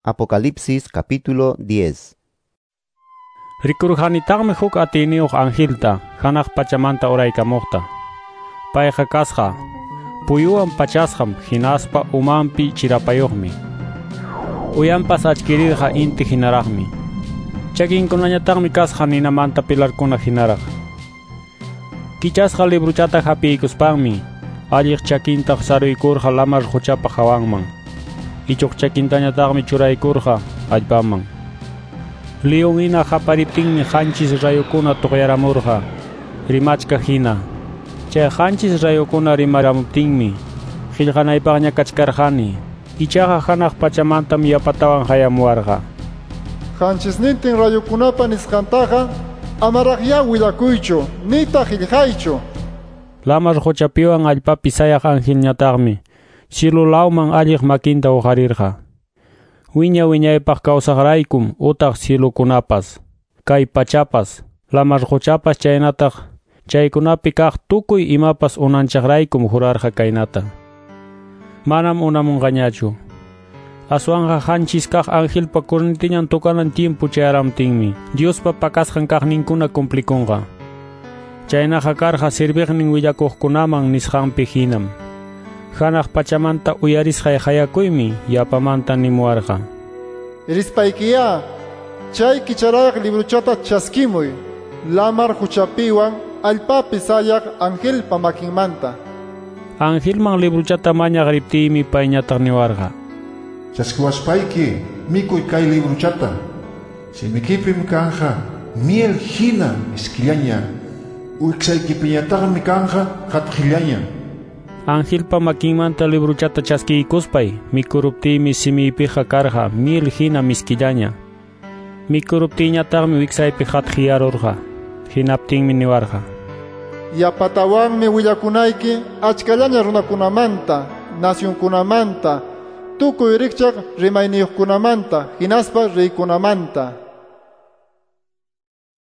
Apocalipsis capítulo 10. Rikurqanitaqmi huk atiyniyuq angelta hanaq pachamanta uraykamuqta. Payqa kasqa puyuwan pachasqam hinaspa umanpi chirapayuqmi. Uyanpas achkirirqa inti hinaraqmi. Chakinkunañataqmi kasqa ninamanta pilarkuna hinaraq. Kichasqa libruchata hapiykuspanmi alliq chakinta saruykurqa lamar quchapa hawanman. Ichuq chakintañataqmi churaykurqa allpaman. León hina qapariptinmi qanchis rayukuna tuqyaramurqa rimachka hina. Chay qanchis rayukuna rimaramuptinmi qillqanaypaqña kachkarqani. Ichaqa hanaq pachamantam yapatawan hayamuwarqa. Qanchisnintin rayukunapa nisqantaqa amaraqya willakuychu nitaq qillqaychu. Lamar quchapiwan allpapi sayaq angelñataqmi cielo lawman alliq makinta uqarirqa. Wiña wiñaypaq kawsaqraykum utaq cielokunapas, kay pachapas, lamar quchapas chaynataq chaykunapi kaq tukuy imapas unanchaqraykum jurarqa kaynata. Manam unamunqañachu. Aswanqa qanchis kaq angelpa cornetiñan tocanan tiempo chayaramtinmi Diospa pakasqan kaqninkuna cumplikunqa. Chaynaqa karqa serviqnin willakuqkunaman nisqanpi hinam. Hanaq pachamanta uyarisqay hayakuymi yapamanta nimuwarqa. Rispaykiya chay kicharayaq libruchata chaskimuy lamar quchapiwan allpapi sayaq angelpa makinmanta. Angelman libruchata mañaq riptiymi payñataq niwarqa. Chaskiwaspayki mikuy kay libruchata. Simikipim kanja miel hina miskillaña. Wiksaykipiñataqmi kanja qatqillaña. Angelpa makinmanta libruchata chaskiykuspay mikuruptiymi simiypiqa karqa miel hina miskillaña. Mikuruptiyñataqmi wiksaypi qatqiyarurqa. Hinaptinmi niwarqa. Yapatawanmi willakunayki achkallaña runakunamanta, nacionkunamanta, tukuy rikchaq rimayniyuqkunamanta, hinaspa reykunamanta.